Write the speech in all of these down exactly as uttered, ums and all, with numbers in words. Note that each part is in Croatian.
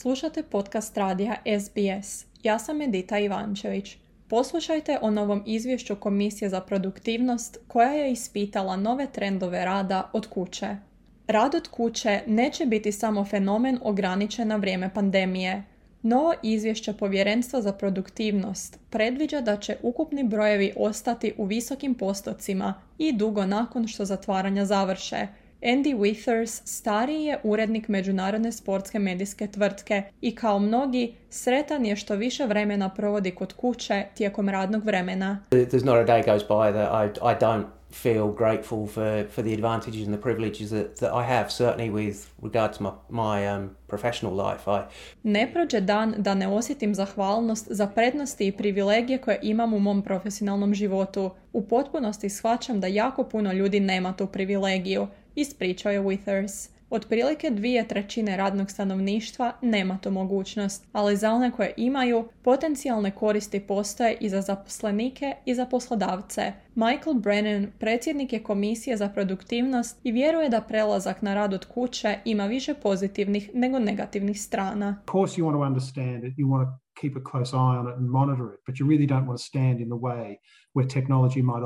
Slušate podcast radija S B S. Ja sam Edita Ivančević. Poslušajte o novom izvješću Komisije za produktivnost koja je ispitala nove trendove rada od kuće. Rad od kuće neće biti samo fenomen ograničen na vrijeme pandemije. Novo izvješće Povjerenstva za produktivnost predviđa da će ukupni brojevi ostati u visokim postocima i dugo nakon što zatvaranja završe. Andy Withers stariji je urednik međunarodne sportske medijske tvrtke i kao mnogi sretan je što više vremena provodi kod kuće tijekom radnog vremena. There's not a day goes by that I, I don't feel grateful for, for the advantages and the privileges that, that I have, certainly with regard to my, my um, professional life. I... Ne prođe dan da ne osjetim zahvalnost za prednosti i privilegije koje imam u mom profesionalnom životu. U potpunosti shvaćam da jako puno ljudi nema tu privilegiju, ispričao je Withers. Otprilike dvije trećine radnog stanovništva nema tu mogućnost, ali za one koje imaju, potencijalne koristi postoje i za zaposlenike i za poslodavce. Michael Brennan, predsjednik je Komisije za produktivnost i vjeruje da prelazak na rad od kuće ima više pozitivnih nego negativnih strana. Of course you want to understand it, you want to keep a close eye on it and monitor it, but you really don't want to stand in the way where technology might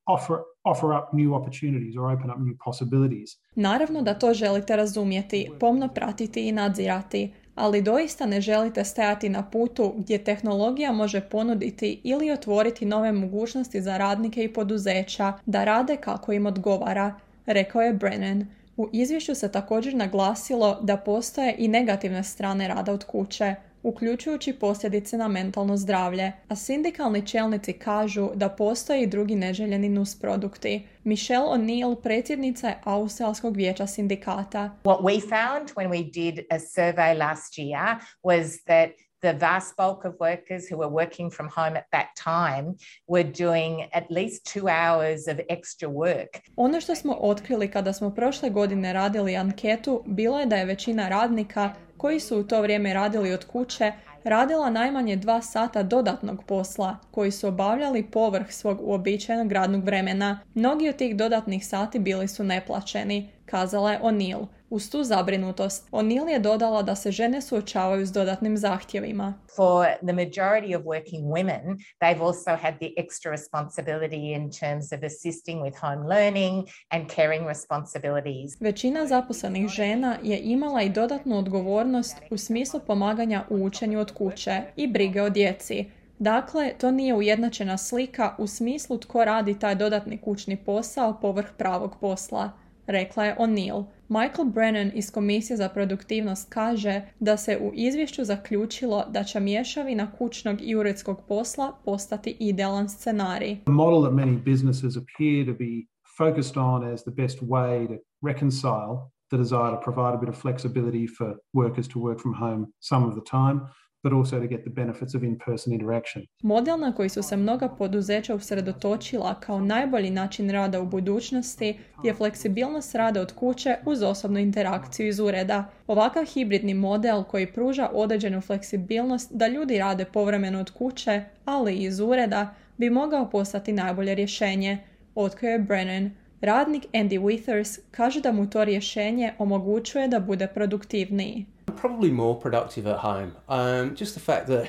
offer offer up new opportunities or open up new possibilities. Naravno da to želite razumjeti, pomno pratiti i nadzirati, ali doista ne želite stajati na putu gdje tehnologija može ponuditi ili otvoriti nove mogućnosti za radnike i poduzeća da rade kako im odgovara, rekao je Brennan. U izvješću se također naglasilo da postoje i negativne strane rada od kuće, uključujući posljedice na mentalno zdravlje, a sindikalni čelnici kažu da postoje i drugi neželjeni nusprodukti. Michelle O'Neill, predsjednica je Australskog vijeća sindikata. What we found when we did a survey last year was that the vast bulk of workers who were working from home at that time were doing at least two hours of extra work. Ono što smo otkrili kada smo prošle godine radili anketu bilo je da je većina radnika koji su u to vrijeme radili od kuće radila najmanje dva sata dodatnog posla koji su obavljali povrh svog uobičajenog radnog vremena. Mnogi od tih dodatnih sati bili su neplaćeni, kazala je O'Neill. Uz tu zabrinutost, O'Neill je dodala da se žene suočavaju s dodatnim zahtjevima. For the majority of working women, they've also had the extra responsibility in terms of assisting with home learning and caring responsibilities. Većina zaposlenih žena je imala i dodatnu odgovornost u smislu pomaganja u učenju od kuće i brige o djeci. Dakle, to nije ujednačena slika u smislu tko radi taj dodatni kućni posao povrh pravog posla, rekla je O'Neill. Michael Brennan iz Komisije za produktivnost kaže da se u izvješću zaključilo da će mješavina kućnog i uredskog posla postati idealan scenarij. The model that many businesses appear to be focused on as the best way to reconcile the desire to provide a bit of flexibility for workers to work from home some of the time, but also to get the benefits of in-person interaction. Model na koji su se mnoga poduzeća usredotočila kao najbolji način rada u budućnosti je fleksibilnost rada od kuće uz osobnu interakciju iz ureda. Ovakav hibridni model koji pruža određenu fleksibilnost da ljudi rade povremeno od kuće, ali i iz ureda, bi mogao postati najbolje rješenje, otkrio je Brennan. Radnik Andy Withers kaže da mu to rješenje omogućuje da bude produktivniji. Probably more productive at home. Um, just the fact that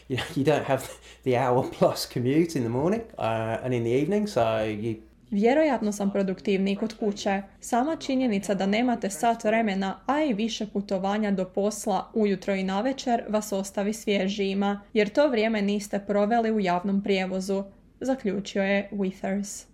you know, you don't have the hour plus commute in the morning uh, and in the evening, so you... Vjerojatno sam produktivniji kod kuće. Sama činjenica da nemate sat vremena, a i više putovanja do posla ujutro i navečer vas ostavi svježijima, jer to vrijeme niste proveli u javnom prijevozu, zaključio je Withers.